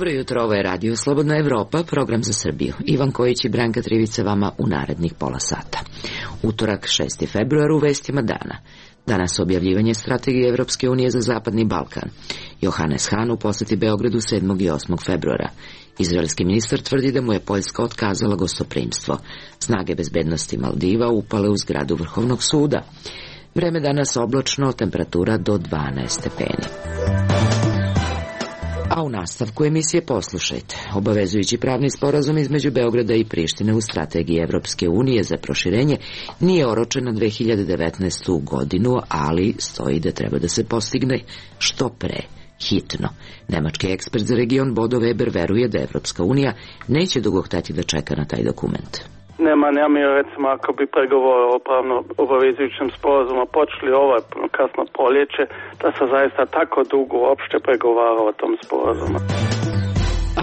Dobro jutro, ovo je Radio Slobodna Evropa, program za Srbiju. Ivan Kojić i Branka Trivica vama u narednih pola sata. Utorak, 6. februar, u vestima dana. Danas objavljivanje strategije Evropske unije za Zapadni Balkan. Johannes Hahn u poseti Beogradu 7. i 8. februara. Izraelski ministar tvrdi da mu je Poljska otkazala gostoprimstvo. Snage bezbednosti Maldiva upale u zgradu Vrhovnog suda. Vreme danas oblačno, temperatura do 12 stepeni. A u nastavku emisije poslušajte. Obavezujući pravni sporazum između Beograda i Prištine u strategiji Evropske unije za proširenje nije oročen na 2019. godinu, ali stoji da treba da se postigne što pre, hitno. Nemački ekspert za region Bodo Weber veruje da Evropska unija neće dugo hteti da čeka na taj dokument. Nema namjera, recimo, ako bi pregovore o pravno obavezujućem sporazumu počeli kasno poljeće, da se zaista tako dugo uopšte pregovara o tom sporazumu.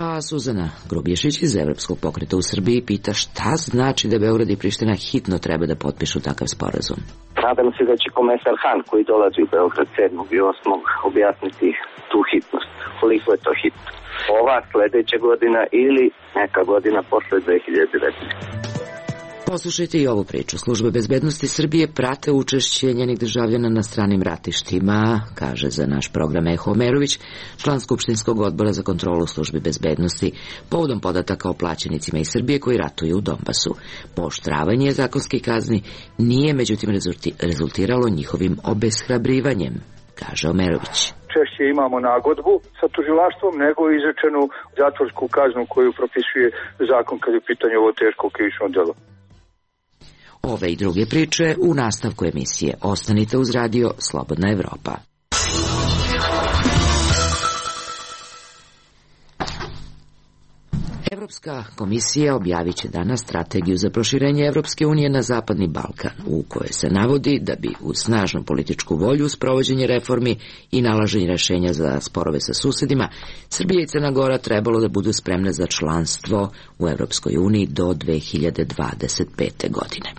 A Suzana Grubješić iz Evropskog pokreta u Srbiji pita šta znači da Beograd i Priština hitno treba da potpišu takav sporazum. Nadam se da će komesar Hahn koji dolazi u Beograd 7. i 8. objasniti tu hitnost. Koliko je to hitno? Ova, sledeća godina ili neka godina posle 2019. Poslušajte i ovu priču. Službe bezbednosti Srbije prate učešće njenih državljana na stranim ratištima, kaže za naš program Eho Omerović, član Skupštinskog odbora za kontrolu službi bezbednosti, povodom podataka o plaćenicima iz Srbije koji ratuju u Donbasu. Pooštravanje zakonskih kazni nije međutim rezultiralo njihovim obeshrabrivanjem, kaže Omerović. Češće imamo nagodbu sa tužilaštvom nego izrečenu zatvorsku kaznu koju propisuje zakon kad je u pitanju ovo teško krivično delo. Ove i druge priče u nastavku emisije. Ostanite uz radio Slobodna Evropa. Evropska komisija objavit će danas strategiju za proširenje Evropske unije na Zapadni Balkan, u kojoj se navodi da bi uz snažnu političku volju, sprovođenje reformi i nalaženje rešenja za sporove sa susedima, Srbija i Crna Gora trebalo da budu spremne za članstvo u Evropskoj uniji do 2025. godine.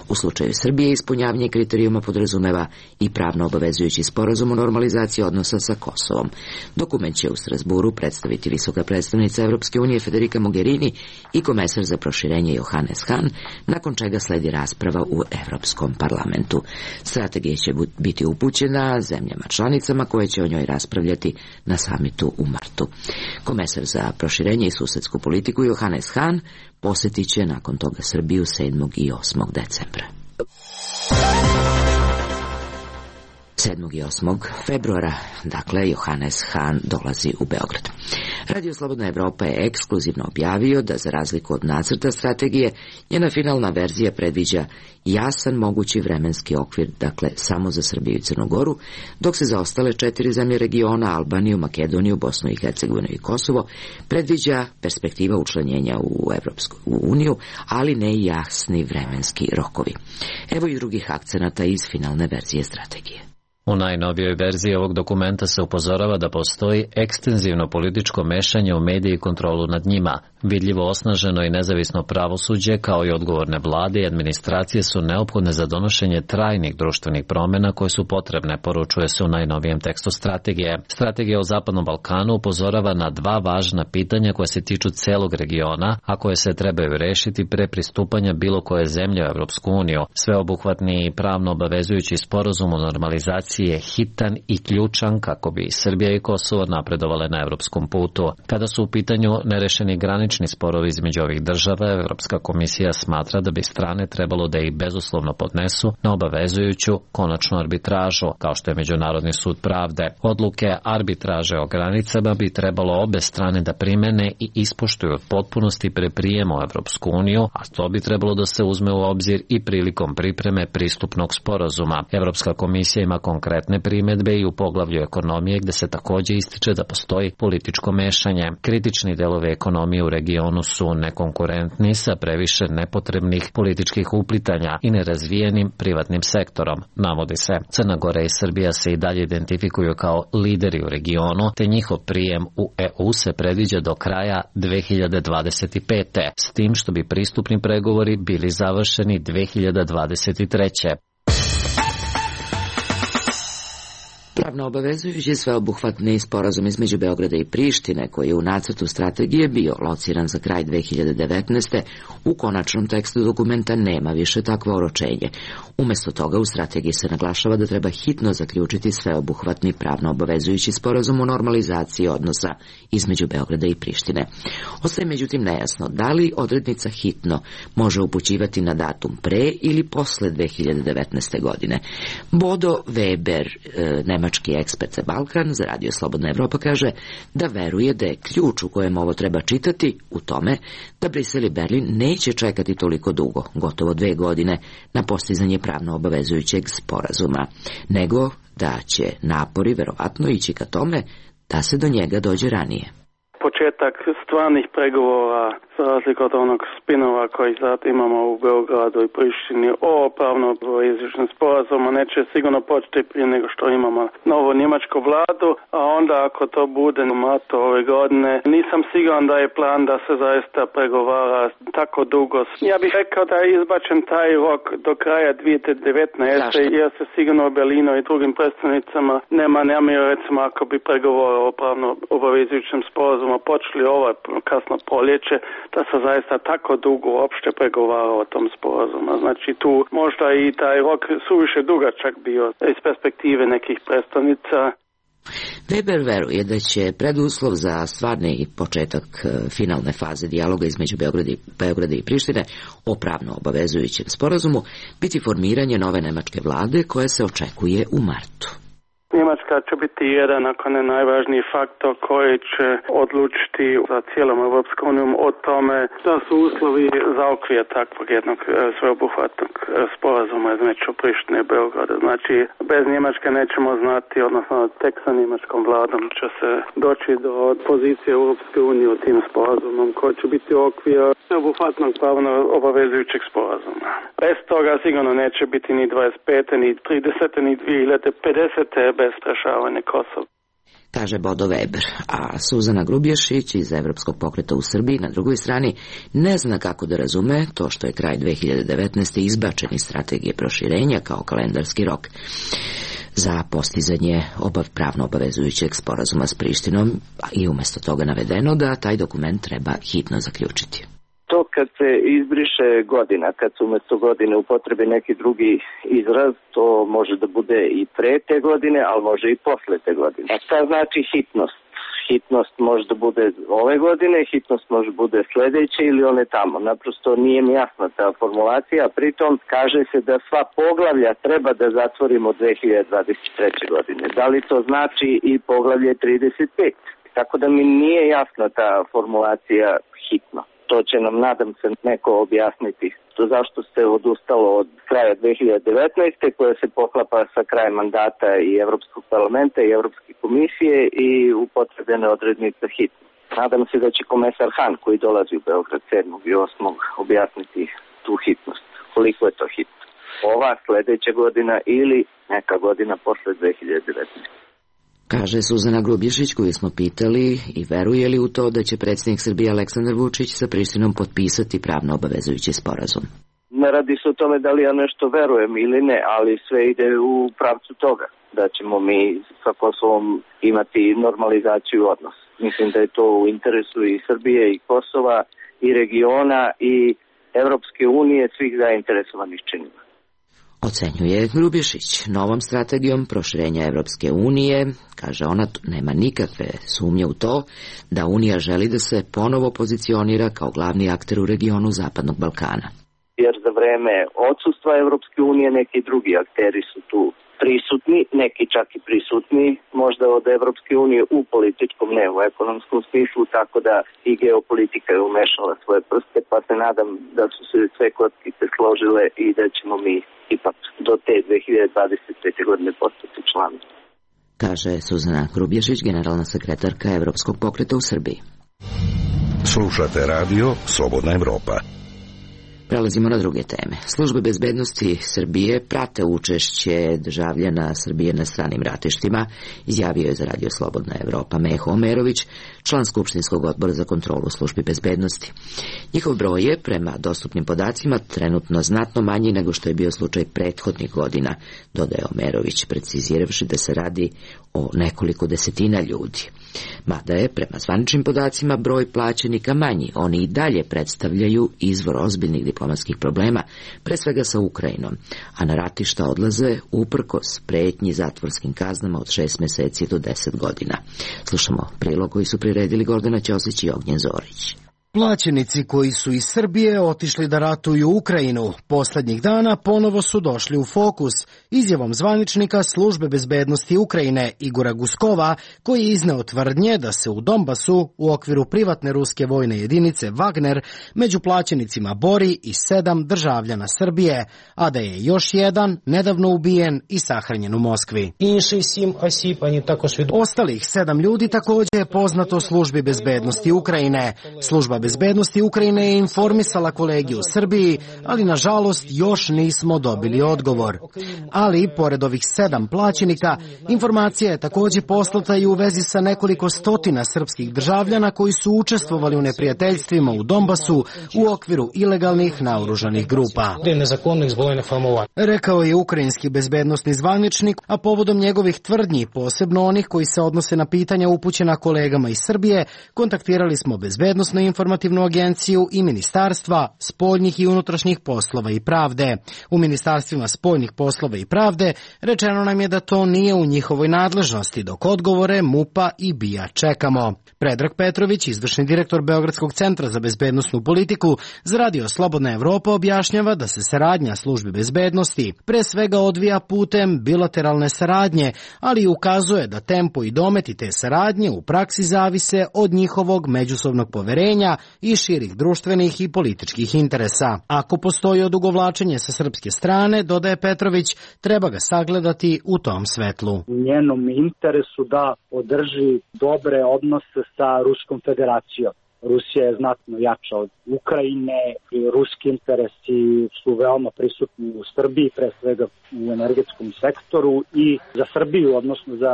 U slučaju Srbije ispunjavanje kriterijuma podrazumeva i pravno obavezujući sporazum o normalizaciji odnosa sa Kosovom. Dokument će u Strasburu predstaviti visoka predstavnica Evropske unije Federica Mogherini i komesar za proširenje Johannes Hahn, nakon čega sledi rasprava u Evropskom parlamentu. Strategija će biti upućena zemljama članicama koje će o njoj raspravljati na samitu u martu. Komesar za proširenje i susedsku politiku Johannes Hahn posetit će nakon toga Srbiju 7. i 8. decembra. 7. i 8. februara, dakle, Johannes Hahn dolazi u Beograd. Radio Slobodna Evropa je ekskluzivno objavio da, za razliku od nacrta strategije, njena finalna verzija predviđa jasan mogući vremenski okvir, dakle, samo za Srbiju i Crnu Goru, dok se za ostale 4 zemlje regiona, Albaniju, Makedoniju, Bosnu i Hercegovinu i Kosovo, predviđa perspektiva učlanjenja u Evropsku uniju, ali ne jasni vremenski rokovi. Evo i drugih akcenata iz finalne verzije strategije. U najnovijoj verziji ovog dokumenta se upozorava da postoji ekstenzivno političko mešanje u medije i kontrolu nad njima. Vidljivo osnaženo i nezavisno pravosuđe, kao i odgovorne vlade i administracije su neophodne za donošenje trajnih društvenih promjena koje su potrebne, poručuje se u najnovijem tekstu strategije. Strategija o Zapadnom Balkanu upozorava na 2 važna pitanja koje se tiču celog regiona, a koje se trebaju rešiti pre pristupanja bilo koje zemlje u Evropsku uniju. Sveobuhvatni i pravno obavezujući sporazum o normalizaciji je hitan i ključan kako bi Srbija i Kosovo napredovale na evropskom putu. Kada su u pitanju nerešeni granični sporovi između ovih država, Evropska komisija smatra da bi strane trebalo da ih bezuslovno podnesu na obavezujuću konačnu arbitražu, kao što je Međunarodni sud pravde. Odluke arbitraže o granicama bi trebalo obe strane da primene i ispoštuju od potpunosti pre prijema u Evropsku uniju, a to bi trebalo da se uzme u obzir i prilikom pripreme pristupnog sporazuma. Evropska komisija ima konkretne primedbe i u poglavlju ekonomije, gde se takođe ističe da postoji političko mešanje. Kritični delovi ekonomije u regionu su nekonkurentni sa previše nepotrebnih političkih uplitanja i nerazvijenim privatnim sektorom, navodi se. Crna Gora i Srbija se i dalje identifikuju kao lideri u regionu, te njihov prijem u EU se predviđa do kraja 2025. s tim što bi pristupni pregovori bili završeni 2023. Pravno obavezujući sveobuhvatni sporazum između Beograda i Prištine, koji je u nacrtu strategije bio lociran za kraj 2019. u konačnom tekstu dokumenta nema više takvo oročenje. Umesto toga u strategiji se naglašava da treba hitno zaključiti sveobuhvatni pravno obavezujući sporazum o normalizaciji odnosa između Beograda i Prištine. Ostaje međutim nejasno da li odrednica hitno može upućivati na datum pre ili posle 2019. godine. Bodo Weber, nemački ekspert za Balkan, za Radio Slobodna Evropa, kaže da veruje da je ključ u kojem ovo treba čitati u tome da Brisel i Berlin neće čekati toliko dugo, gotovo 2 godine, na postizanje pravno obavezujućeg sporazuma, nego da će napori verovatno ići ka tome da se do njega dođe ranije. Početak stvarnih pregovora, za razliku od onog spinova koji sad imamo u Beogradu i Prištini o pravno obavezujućem sporazumu, neće sigurno početi prije nego što imamo novu njemačku vladu, a onda ako to bude u martu ove godine, nisam siguran da je plan da se zaista pregovara tako dugo. Ja bih rekao da je izbačen taj rok do kraja 2019. jer se sigurno u Berlinu i drugim predstavnicama nema namjeru, recimo ako bi pregovore o pravno obavezujućem sporazumu počeli ovo kasno proljeće, da se zaista tako dugo uopšte pregovara o tom sporazumu. Znači tu možda i taj rok suviše dugačak bio iz perspektive nekih predstavnica. Weber veruje da će preduslov za stvarni početak finalne faze dijaloga između Beograda i Prištine o pravno obavezujućem sporazumu biti formiranje nove nemačke vlade koje se očekuje u martu. Njemačka će biti jedan, ako ne najvažniji faktor koji će odlučiti za cijelom Europskom unijom o tome da su uslovi za okvir takvog jednog sveobuhvatnog sporazuma između Prištine i Beograda. Znači, bez Njemačke nećemo znati, odnosno tek sa njemačkom vladom će se doći do pozicije Europske unije u tim sporazumom koji će biti okvir sveobuhvatnog pravno obavezujućeg sporazuma. Bez toga sigurno neće biti ni 25. ni 30. ni 2050. bez rešavanja Kosova. Kaže Bodo Weber, a Suzana Grubješić iz Evropskog pokreta u Srbiji na drugoj strani ne zna kako da razume to što je kraj 2019. izbačen iz strategije proširenja kao kalendarski rok za postizanje pravno obavezujućeg sporazuma s Prištinom i umjesto toga navedeno da taj dokument treba hitno zaključiti. To kad se izbriše godina, kad se umjesto godine upotrebi neki drugi izraz, to može da bude i pre te godine, ali može i posle te godine. A šta znači hitnost? Hitnost može da bude ove godine, hitnost može da bude sledeće ili one tamo. Naprosto nije mi jasna ta formulacija, pritom kaže se da sva poglavlja treba da zatvorimo 2023. godine. Da li to znači i poglavlje 35? Tako da mi nije jasna ta formulacija hitno. To će nam, nadam se, neko objasniti. To zašto se odustalo od kraja 2019. koja se poklapa sa krajem mandata i Evropskog parlamenta i Evropske komisije i upotrebljene odrednice hitno. Nadam se da će komesar Han koji dolazi u Beograd 7. i 8. objasniti tu hitnost. Koliko je to hitno? Ova, sledeća godina ili neka godina posle 2019. Kaže Suzana Grubješić, koju smo pitali i veruje li u to da će predsjednik Srbije Aleksandar Vučić sa Prištinom potpisati pravno obavezujući sporazum. Ne radi se o tome da li ja nešto verujem ili ne, ali sve ide u pravcu toga da ćemo mi sa Kosovom imati normalizaciju odnosa. Mislim da je to u interesu i Srbije i Kosova i regiona i Evropske unije, svih zainteresovanih činova. Ocenjuje Grubješić. Novom strategijom proširenja Evropske unije, kaže ona, nema nikakve sumnje u to da Unija želi da se ponovo pozicionira kao glavni akter u regionu Zapadnog Balkana. Jer za vreme odsustva Evropske unije neki drugi akteri su tu prisutni, neki čak i prisutni, možda od Evropske unije u političkom, ne u ekonomskom smislu, tako da i geopolitika je umešala svoje prste, pa se nadam da su se sve kockice složile i da ćemo mi ipak do te 2025. godine postati članovi. Kaže Suzana Grubješić, generalna sekretarka Evropskog pokreta u Srbiji. Slušate radio Slobodna Evropa. Prelazimo na druge teme. Službe bezbednosti Srbije prate učešće državljana Srbije na stranim ratištima, izjavio je za Radio Slobodna Evropa Meho Omerović, član Skupštinskog odbora za kontrolu službi bezbednosti. Njihov broj je, prema dostupnim podacima, trenutno znatno manji nego što je bio slučaj prethodnih godina, dodaje Omerović, preciziravši da se radi o nekoliko desetina ljudi. Mada je, prema zvaničnim podacima, broj plaćenika manji, oni i dalje predstavljaju izvor ozbiljnih diplomatskih problema, pre svega sa Ukrajinom, a na ratišta odlaze uprkos pretnji zatvorskim kaznama od 6 meseci do 10 godina. Slušamo prilog koji su priredili Gordana Ćosić i Ognjen Zorić. Plaćenici koji su iz Srbije otišli da ratuju Ukrajinu poslednjih dana ponovo su došli u fokus izjavom zvaničnika Službe bezbednosti Ukrajine Igora Guskova, koji je izneo tvrdnje da se u Donbasu u okviru privatne ruske vojne jedinice Wagner među plaćenicima bori i 7 državljana Srbije, a da je još jedan nedavno ubijen i sahranjen u Moskvi. Ostalih 7 ljudi takođe je poznato Službi bezbednosti Ukrajine. Služba bezbednosti Ukrajine je informisala kolege u Srbiji, ali nažalost još nismo dobili odgovor. Ali, pored ovih 7 plaćenika, informacija je takođe poslata i u vezi sa nekoliko stotina srpskih državljana koji su učestvovali u neprijateljstvima u Donbasu u okviru ilegalnih naoružanih grupa. Rekao je ukrajinski bezbednosni zvaničnik, a povodom njegovih tvrdnji, posebno onih koji se odnose na pitanja upućena kolegama iz Srbije, kontaktirali smo bezbednosnu informativnu agenciju i ministarstva spoljnih i unutrašnjih poslova i pravde. U ministarstvima spoljnih poslova i pravde rečeno nam je da to nije u njihovoj nadležnosti, dok odgovore MUP-a i BIA čekamo. Predrag Petrović, izvršni direktor Beogradskog centra za bezbednosnu politiku, za Radio Slobodna Evropa objašnjava da se saradnja službi bezbednosti pre svega odvija putem bilateralne saradnje, ali ukazuje da tempo i dometi te saradnje u praksi zavise od njihovog međusobnog poverenja i širih društvenih i političkih interesa. Ako postoji odugovlačenje sa srpske strane, dodaje Petrović, treba ga sagledati u tom svetlu. U njenom interesu da održi dobre odnose sa Ruskom federacijom. Rusija je znatno jača od Ukrajine i ruski interesi su veoma prisutni u Srbiji, pre svega u energetskom sektoru i za Srbiju, odnosno za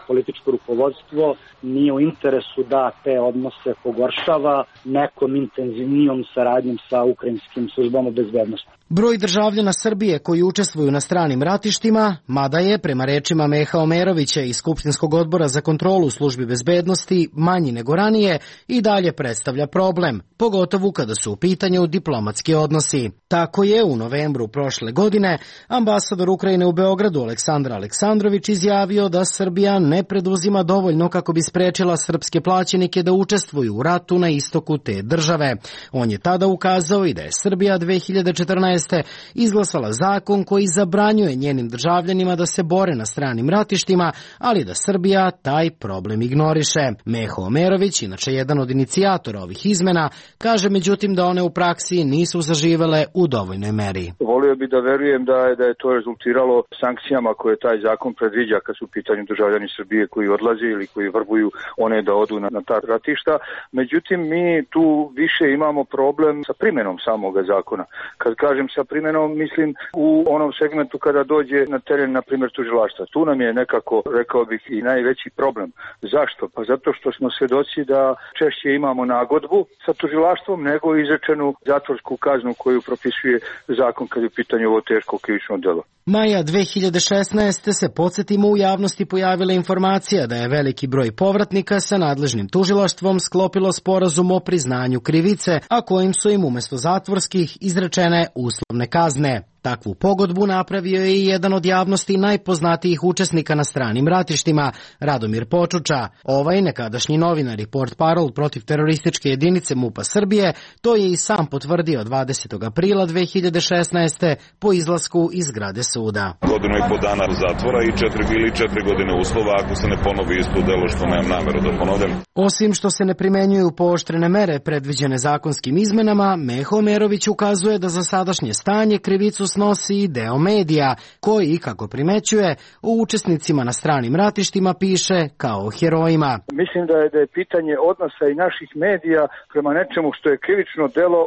političko rukovodstvo, nije u interesu da te odnose pogoršava nekom intenzivnijom saradnjom sa ukrajinskim službama bezbednosti. Broj državljana Srbije koji učestvuju na stranim ratištima, mada je, prema rečima Meha Omerovića iz Skupštinskog odbora za kontrolu službi bezbednosti, manji nego ranije, i dalje predstavlja problem, pogotovo kada su u pitanju diplomatski odnosi. Tako je u novembru prošle godine ambasador Ukrajine u Beogradu Aleksandar Aleksandrović izjavio da Srbija ne preduzima dovoljno kako bi sprečila srpske plaćenike da učestvuju u ratu na istoku te države. On je tada ukazao i da je Srbija 2014. izglasala zakon koji zabranjuje njenim državljanima da se bore na stranim ratištima, ali da Srbija taj problem ignoriše. Meho Omerović, inače jedan od inicijatora ovih izmena, kaže međutim da one u praksi nisu zaživele u dovoljnoj meri. Volio bi da verujem da je to rezultiralo sankcijama koje taj zakon predviđa kad su u pitanju državljani Srbije koji odlaze ili koji vrbuju one da odu na ta ratišta. Međutim, mi tu više imamo problem sa primenom samoga zakona. Kad kažem sa primenom, mislim u onom segmentu kada dođe na teren, na primjer, tužilaštva. Tu nam je nekako, rekao bih, i najveći problem. Zašto? Pa zato što smo svedoci da češće imamo nagodbu sa tužilaštvom nego izrečenu zatvorsku kaznu koju propisuje zakon kad je u pitanju ovo teško krivično delo. Maja 2016. se, podsjetimo, u javnosti pojavila informacija da je veliki broj povratnika sa nadležnim tužilaštvom sklopilo sporazum o priznanju krivice, a kojim su im umesto zatvorskih izrečene uslovne kazne. Takvu pogodbu napravio je i jedan od javnosti najpoznatijih učesnika na stranim ratištima, Radomir Počuča. Ovaj nekadašnji novinar i portparol protiv terorističke jedinice MUP-a Srbije to je i sam potvrdio 20. aprila 2016. po izlasku iz zgrade suda. Godinu i po dana zatvora i 4 godine uslova ako se ne ponovi isto delo što nemam nameru da ponovim. Osim što se ne primenjuju pooštrene mere predviđene zakonskim izmenama, Meho Omerović ukazuje da za sadašnje stanje krivicu snosi i deo medija, koji, kako primećuje, o učesnicima na stranim ratištima piše kao o herojima. Mislim da je pitanje odnosa i naših medija prema nečemu što je krivično delo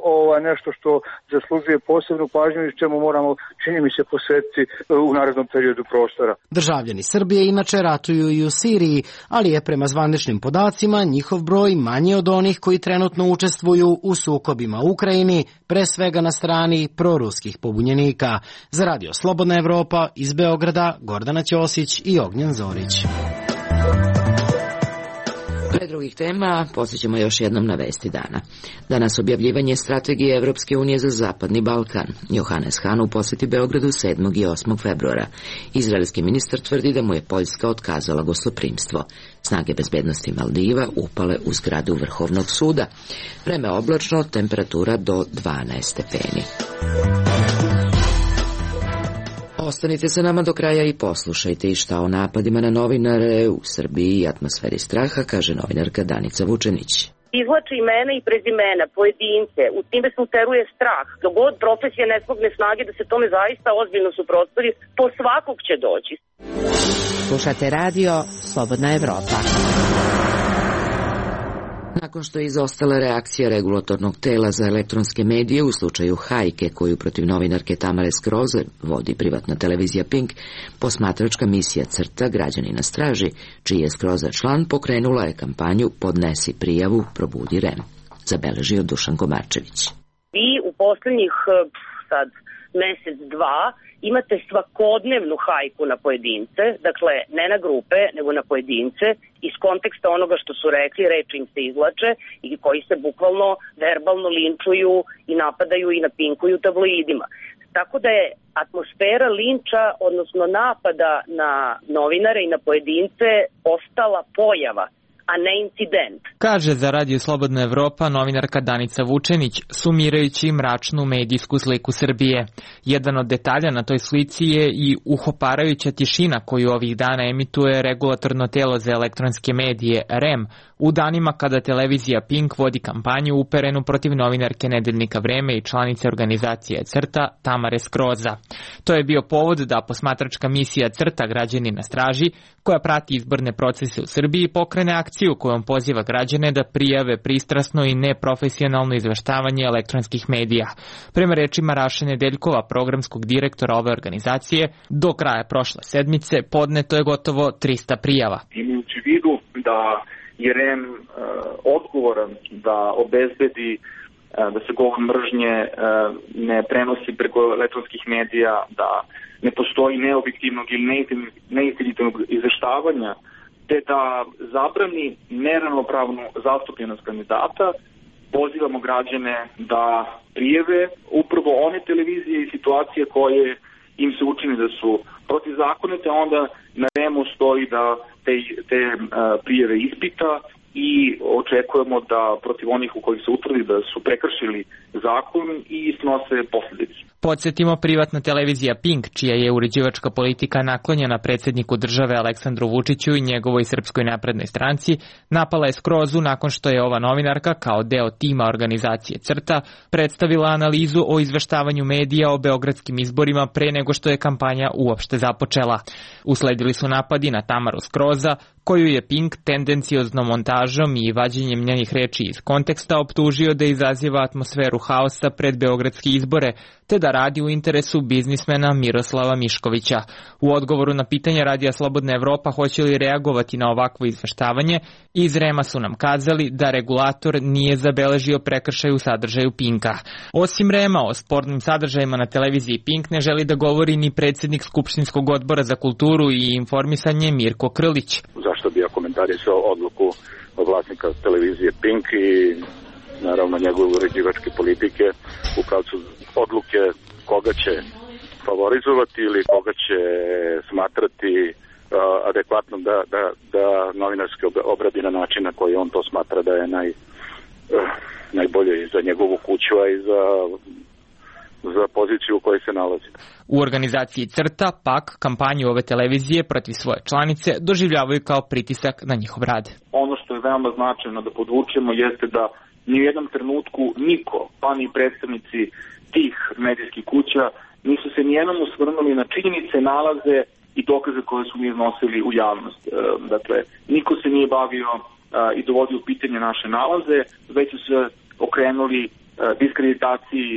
nešto što zaslužuje posebnu pažnju i čemu moramo, čini mi se, posvetiti u narednom periodu prostora. Državljani Srbije inače ratuju i u Siriji, ali je prema zvaničnim podacima njihov broj manji od onih koji trenutno učestvuju u sukobima u Ukrajini, pre svega na strani proruskih pobunjenika. Za Radio Slobodna Evropa iz Beograda, Gordana Ćosić i Ognjen Zorić. Pre drugih tema posjećamo još jednom na vesti dana. Danas objavljivanje strategije Evropske unije za Zapadni Balkan. Johannes Hahn u posjeti Beogradu 7. i 8. februara. Izraelski ministar tvrdi da mu je Poljska otkazala gostoprimstvo. Snage bezbednosti Maldiva upale u zgradu Vrhovnog suda. Vreme oblačno, temperatura do 12 stepeni. Ostanite sa nama do kraja i poslušajte i šta o napadima na novinare u Srbiji i atmosferi straha, kaže novinarka Danica Vučenić. Izvlači imena i prezimena, pojedince, u time se uteruje strah. Dok god profesija ne smogne snage da se tome zaista ozbiljno suprotstavi, po svakog će doći. Slušate radio Slobodna Evropa. Nakon što je izostala reakcija regulatornog tela za elektronske medije u slučaju hajke koju protiv novinarke Tamare Skroze vodi privatna televizija Pink, posmatračka misija CRTA Građani na straži, čiji je Skroza član, pokrenula je kampanju Podnesi prijavu, probudi REM. Zabeležio Dušan Komarčević. Vi u poslednjih mesec, dva imate svakodnevnu hajku na pojedince, dakle ne na grupe, nego na pojedince, iz konteksta onoga što su rekli, reči im se izvlače i koji se bukvalno verbalno linčuju i napadaju i napinkuju tabloidima. Tako da je atmosfera linča, odnosno napada na novinare i na pojedince postala pojava, a ne incident. Kaže za Radio Slobodna Evropa novinarka Danica Vučenić, sumirajući mračnu medijsku sliku Srbije. Jedan od detalja na toj slici je i uhoparajuća tišina koju ovih dana emituje regulatorno telo za elektronske medije REM, u danima kada televizija Pink vodi kampanju uperenu protiv novinarke Nedeljnika Vreme i članice organizacije CRTA Tamare Skroza. To je bio povod da posmatračka misija CRTA Građani na straži, koja prati izborne procese u Srbiji, pokrene akciju kojom poziva građane da prijave pristrasno i neprofesionalno izveštavanje elektronskih medija. Prema rečima Raše Nedeljkova, programskog direktora ove organizacije, do kraja prošle sedmice podneto je gotovo 300 prijava. Imajući vidu da je REM odgovoran da obezbedi da se govor mržnje ne prenosi preko elektronskih medija, da ne postoji neobjektivnog ili neistinitog izveštavanja, te da zabrani neravnopravnu zastupljenost kandidata, pozivamo građane da prijave upravo one televizije i situacije koje im se učini da su protivzakonite, onda na REM-u stoji da te prijave ispita i očekujemo da protiv onih u kojih se utvrdi da su prekršili zakon i snose posljedice. Podsjetimo, privatna televizija Pink, čija je uređivačka politika naklonjena predsjedniku države Aleksandru Vučiću i njegovoj Srpskoj naprednoj stranci, napala je Skrozu nakon što je ova novinarka, kao deo tima organizacije CRTA, predstavila analizu o izveštavanju medija o beogradskim izborima pre nego što je kampanja uopšte započela. Usledili su napadi na Tamaru Skroza, koju je Pink tendencijoznom montažom i vađenjem njenih reči iz konteksta optužio da izaziva atmosferu haosa pred beogradske izbore, te da radi u interesu biznismena Miroslava Miškovića. U odgovoru na pitanje Radija Slobodna Evropa hoće li reagovati na ovakvo izveštavanje, iz REM-a su nam kazali da regulator nije zabeležio prekršaj u sadržaju Pinka. Osim REM-a, o spornim sadržajima na televiziji Pink ne želi da govori ni predsjednik Skupštinskog odbora za kulturu i informisanje Mirko Krlić. Zašto bi ja komentarisao odluku vlasnika televizije Pink i naravno njegove uređivačke politike u pravcu odluke koga će favorizovati ili koga će smatrati adekvatnom da novinarski obradi na način na koji on to smatra da je najbolje i za njegovu kuću, a i za poziciju u kojoj se nalazi. U organizaciji CRTA pak kampanju ove televizije protiv svoje članice doživljavaju kao pritisak na njihov rad. Ono što je veoma značajno da podvučemo jeste da ni u jednom trenutku niko, pa ni predstavnici tih medijskih kuća nisu se nijednom osvrnuli na činjenice, nalaze i dokaze koje su mi iznosili u javnost. Dakle, niko se nije bavio i dovodio u pitanje naše nalaze, već su se okrenuli diskreditaciji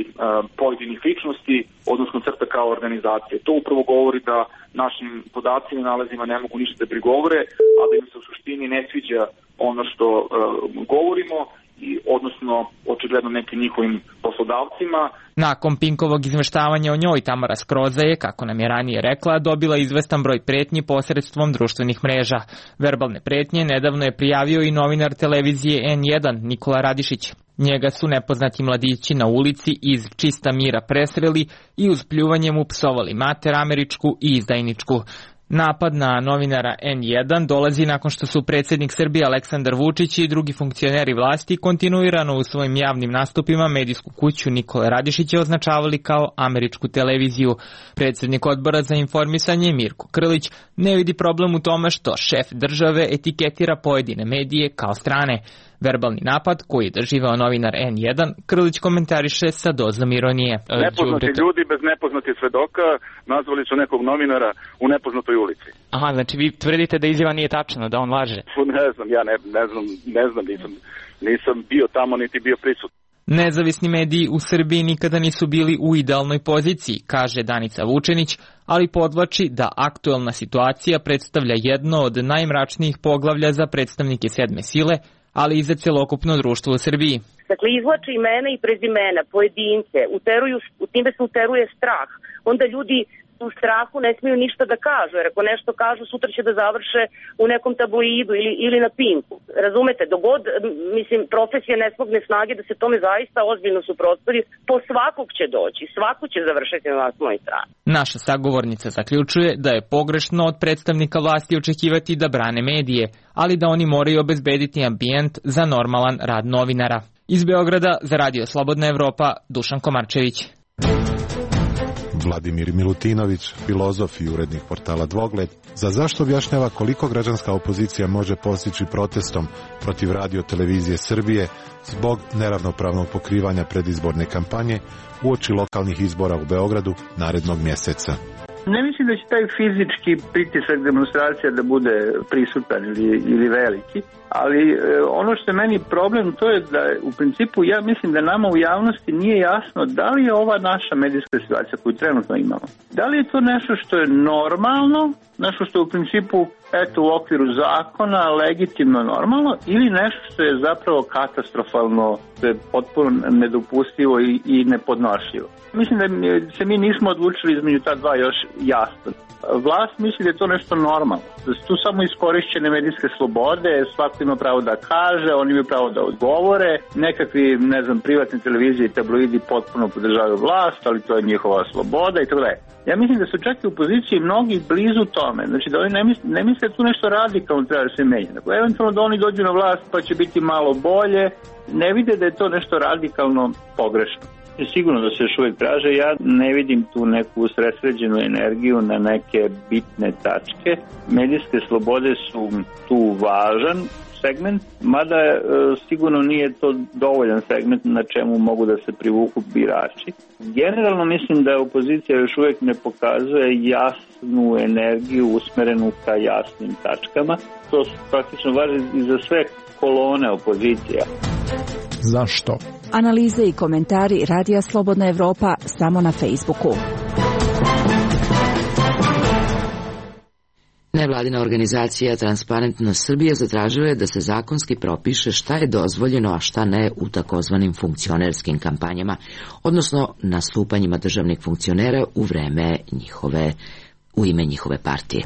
pojedinih ličnosti, odnosno crta kao organizacije. To upravo govori da našim podacima i nalazima ne mogu ništa da prigovore, a da im se u suštini ne sviđa ono što govorimo, i odnosno očigledno nekim njihovim poslodavcima. Nakon Pinkovog izveštavanja o njoj, Tamara Skroza je, kako nam je ranije rekla, dobila izvestan broj pretnji posredstvom društvenih mreža. Verbalne pretnje nedavno je prijavio i novinar televizije N1 Nikola Radišić. Njega su nepoznati mladići na ulici iz čista mira presreli i uz pljuvanje mu psovali mater američku i izdajničku. Napad na novinara N1 dolazi nakon što su predsjednik Srbije Aleksandar Vučić i drugi funkcioneri vlasti kontinuirano u svojim javnim nastupima medijsku kuću Nikole Radišića označavali kao američku televiziju. Predsjednik odbora za informisanje Mirko Krlić ne vidi problem u tome što šef države etiketira pojedine medije kao strane. Verbalni napad koji je doživao novinar N1, Krlić komentariše sa dozom ironije. Nepoznati ljudi bez nepoznatih svedoka nazvali su nekog novinara u nepoznatoj ulici. Aha, znači vi tvrdite da izjava nije tačna, da on laže? Ne znam, ja ne znam, nisam bio tamo niti bio prisutan. Nezavisni mediji u Srbiji nikada nisu bili u idealnoj poziciji, kaže Danica Vučenić, ali podvlači da aktuelna situacija predstavlja jedno od najmračnijih poglavlja za predstavnike sedme sile, ali i za celokupno društvo u Srbiji. Dakle, izvlače imena i prezimena, pojedince, time se uteruje strah. Onda ljudi u strahu ne smiju ništa da kažu, jer ako nešto kažu, sutra će da završe u nekom tabloidu ili na Pinku. Razumete, dogod, profesija ne smogne snage da se tome zaista ozbiljno suprotstavi, po svakog će doći, svako će završiti na naslovnoj strani. Naša sagovornica zaključuje da je pogrešno od predstavnika vlasti očekivati da brane medije, ali da oni moraju obezbediti ambijent za normalan rad novinara. Iz Beograda za Radio Slobodna Evropa, Dušan Komarčević. Vladimir Milutinović, filozof i urednik portala Dvogled, za zašto objašnjava koliko građanska opozicija može postići protestom protiv radio televizije Srbije zbog neravnopravnog pokrivanja predizborne kampanje uoči lokalnih izbora u Beogradu narednog mjeseca. Ne mislim da će taj fizički pritisak demonstracija da bude prisutan ili veliki, ali ono što je meni problem to je da u principu ja mislim da nama u javnosti nije jasno da li je ova naša medijska situacija koju trenutno imamo. Da li je to nešto što je normalno, nešto što je u principu u okviru zakona legitimno normalno ili nešto što je zapravo katastrofalno, što je potpuno nedopustivo i nepodnošljivo. Mislim da se mi nismo odlučili između ta dva još jasno. Vlast misli da je to nešto normalno. Da su tu samo iskorišćene medijske slobode, svako ima pravo da kaže, oni imaju pravo da odgovore, nekakvi, privatne televizije i tabloidi potpuno podržavaju vlast, ali to je njihova sloboda i tako dalje. Ja mislim da su čak i u opoziciji mnogi blizu tome, znači da oni ne misle da tu nešto radikalno treba da se menja. Dakle, eventualno da oni dođu na vlast pa će biti malo bolje, ne vide da je to nešto radikalno pogrešno. Sigurno da se još uvijek traže, ja ne vidim tu neku usredsređenu energiju na neke bitne tačke. Medijske slobode su tu važan segment, mada sigurno nije to dovoljan segment na čemu mogu da se privuku birači. Generalno mislim da opozicija još uvijek ne pokazuje jasnu energiju usmerenu ka jasnim tačkama. To praktično važi i za sve kolone opozicija. Zašto? Analize i komentari Radija Slobodna Evropa samo na Facebooku. Nevladina organizacija Transparentnost Srbije zatražila je da se zakonski propiše šta je dozvoljeno, a šta ne u takozvanim funkcionerskim kampanjama, odnosno nastupanjima državnih funkcionera u ime njihove partije.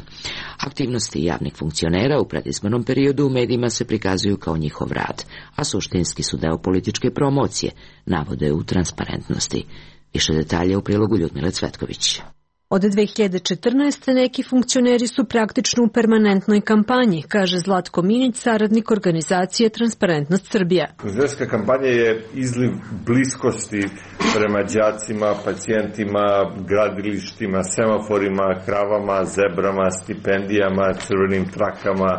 Aktivnosti javnih funkcionera u predizbornom periodu u medijima se prikazuju kao njihov rad, a suštinski su deo političke promocije, navode u Transparentnosti. Više detalje u prilogu Ljudmile Cvetković. Od 2014. neki funkcioneri su praktično u permanentnoj kampanji, kaže Zlatko Minić, saradnik organizacije Transparentnost Srbija. Funkcionerska kampanja je izliv bliskosti prema đacima, pacijentima, gradilištima, semaforima, kravama, zebrama, stipendijama, crvenim trakama,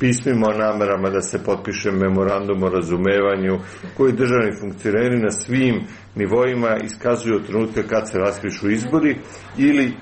pismima o namerama da se potpiše memorandum o razumevanju, koji državni funkcioneri na svim nivoima iskazuju od trenutka kad se raspišu izbori ili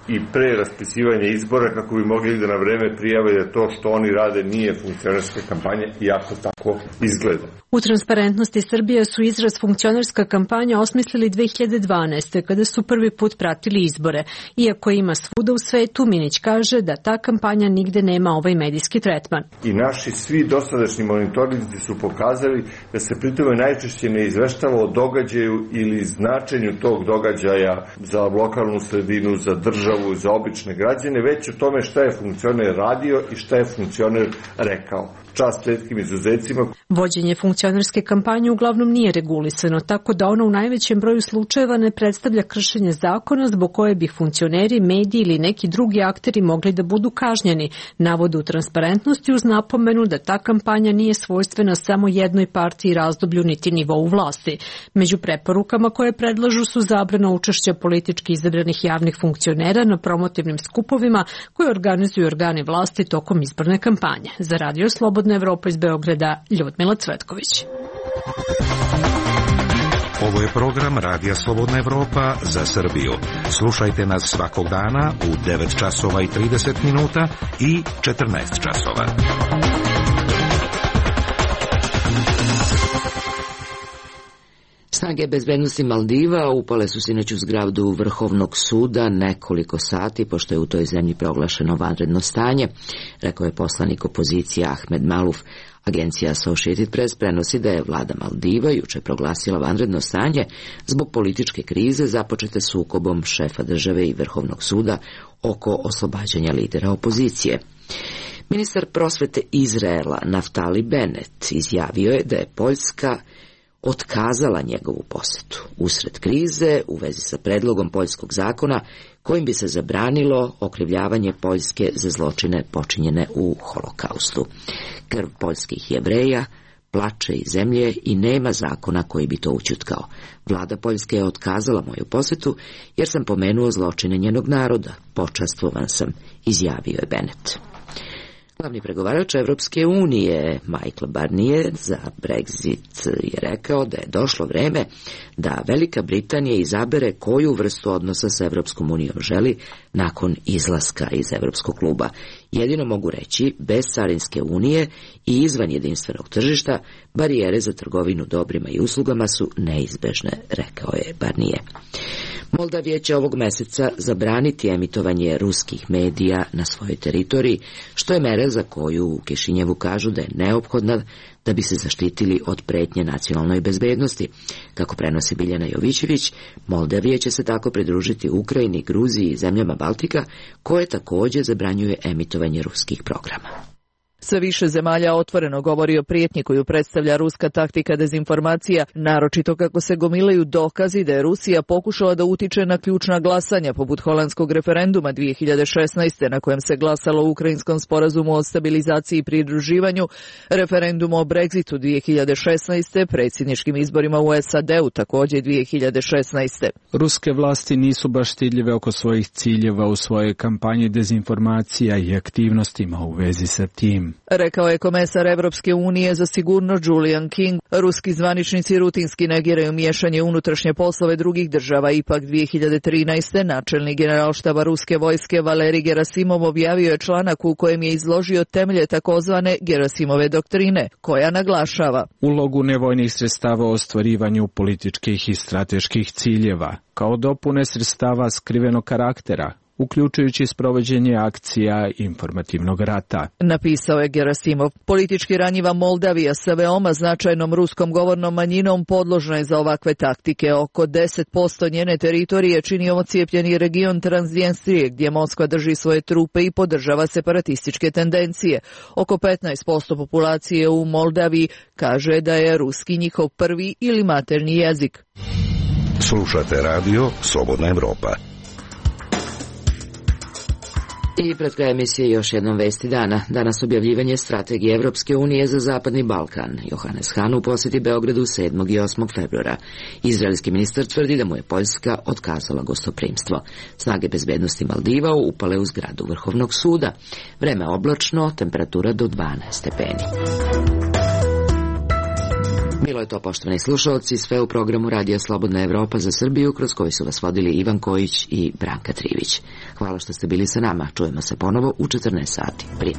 i pre raspisivanja izbora kako bi mogli da na vreme prijave da to što oni rade nije funkcionerska kampanja, iako tako izgleda. U Transparentnosti Srbije su izraz funkcionerska kampanja osmislili 2012. kada su prvi put pratili izbore. Iako ima svuda u svetu, Minić kaže da ta kampanja nigde nema ovaj medijski tretman. I naši svi dosadašnji monitorinzi su pokazali da se pritome najčešće ne izveštava o događaju ili značenju tog događaja za lokalnu sredinu, za državu, za obične građane, već o tome šta je funkcioner radio i šta je funkcioner rekao. Čast retkim izuzecima. Vođenje funkcionerske kampanje uglavnom nije regulisano, tako da ona u najvećem broju slučajeva ne predstavlja kršenje zakona zbog koje bi funkcioneri, mediji ili neki drugi akteri mogli da budu kažnjeni, navode u Transparentnosti uz napomenu da ta kampanja nije svojstvena samo jednoj partiji, razdoblju niti nivou vlasti. Među preporukama koje predlažu su zabrana učešća politički izabranih javnih funkcionera na promotivnim skupovima koje organizuju organi vlasti tokom izborne kampanje. Za Radio Slobodna Evropa iz Beograda, Ljudmila Cvetković. Ovo je program Radija Slobodna Evropa za Srbiju. Slušajte nas svakog dana u 9 časova i 30 minuta i 14 časova. Snage bezbednosti Maldiva upale su sinoć u zgradu Vrhovnog suda nekoliko sati, pošto je u toj zemlji proglašeno vanredno stanje, rekao je poslanik opozicije Ahmed Maluf. Agencija Associated Press prenosi da je vlada Maldiva juče proglasila vanredno stanje zbog političke krize započete sukobom šefa države i Vrhovnog suda oko oslobađanja lidera opozicije. Ministar prosvete Izraela Naftali Bennett izjavio je da je Poljska otkazala njegovu posetu usred krize u vezi sa predlogom poljskog zakona kojim bi se zabranilo okrivljavanje Poljske za zločine počinjene u Holokaustu. Krv poljskih Jevreja plače iz zemlje i nema zakona koji bi to ućutkao. Vlada Poljske je otkazala moju posetu jer sam pomenuo zločine njenog naroda. Počastvovan sam, izjavio je Bennett. Glavni pregovarač Evropske unije, Michel Barnier, za Brexit je rekao da je došlo vreme da Velika Britanija izabere koju vrstu odnosa sa Evropskom unijom želi nakon izlaska iz Evropskog kluba. Jedino mogu reći, bez carinske unije i izvan jedinstvenog tržišta, barijere za trgovinu dobrima i uslugama su neizbežne, rekao je Barnier. Moldavija će ovog meseca zabraniti emitovanje ruskih medija na svojoj teritoriji, što je mera za koju u Kišinjevu kažu da je neophodna da bi se zaštitili od pretnje nacionalnoj bezbednosti. Kako prenosi Biljana Jovićević, Moldavija će se tako pridružiti Ukrajini, Gruziji i zemljama Baltika, koje također zabranjuje emitovanje ruskih programa. Sve više zemalja otvoreno govori o prijetnji koju predstavlja ruska taktika dezinformacija, naročito kako se gomilaju dokazi da je Rusija pokušala da utiče na ključna glasanja, poput holandskog referenduma 2016. na kojem se glasalo o ukrajinskom sporazumu o stabilizaciji i pridruživanju, referendumu o Brexitu 2016. predsjedničkim izborima u SAD-u također 2016. Ruske vlasti nisu baš stidljive oko svojih ciljeva u svojoj kampanji dezinformacija i aktivnostima u vezi sa tim. Rekao je komesar Evropske unije za sigurnost Julian King. Ruski zvaničnici rutinski negiraju miješanje unutrašnje poslove drugih država. Ipak 2013. načelnik generalštaba ruske vojske Valerij Gerasimov objavio je članak u kojem je izložio temelje takozvane Gerasimove doktrine, koja naglašava ulogu nevojnih sredstava u ostvarivanju političkih i strateških ciljeva, kao dopune sredstava skrivenog karaktera, uključujući sprovođenje akcija informativnog rata. Napisao je Gerasimov. Politički ranjiva Moldavija sa veoma značajnom ruskom govornom manjinom podložna je za ovakve taktike. Oko 10% njene teritorije čini ocijepljeni region Transnjestrije, gdje Moskva drži svoje trupe i podržava separatističke tendencije. Oko 15% populacije u Moldaviji kaže da je ruski njihov prvi ili maternji jezik. Slušate radio Slobodna Evropa. I pred kraj emisije još jednom vesti dana. Danas objavljivanje strategije Evropske unije za Zapadni Balkan. Johannes Hahn u posjeti Beogradu 7. i 8. februara. Izraelski ministar tvrdi da mu je Poljska otkazala gostoprimstvo. Snage bezbednosti Maldiva upale u zgradu Vrhovnog suda. Vreme oblačno, temperatura do 12 stepeni. Bilo je to, poštovani slušalci, sve u programu Radija Slobodna Evropa za Srbiju, kroz koji su vas vodili Ivan Kojić i Branka Trivić. Hvala što ste bili sa nama. Čujemo se ponovo u 14 sati. Prije.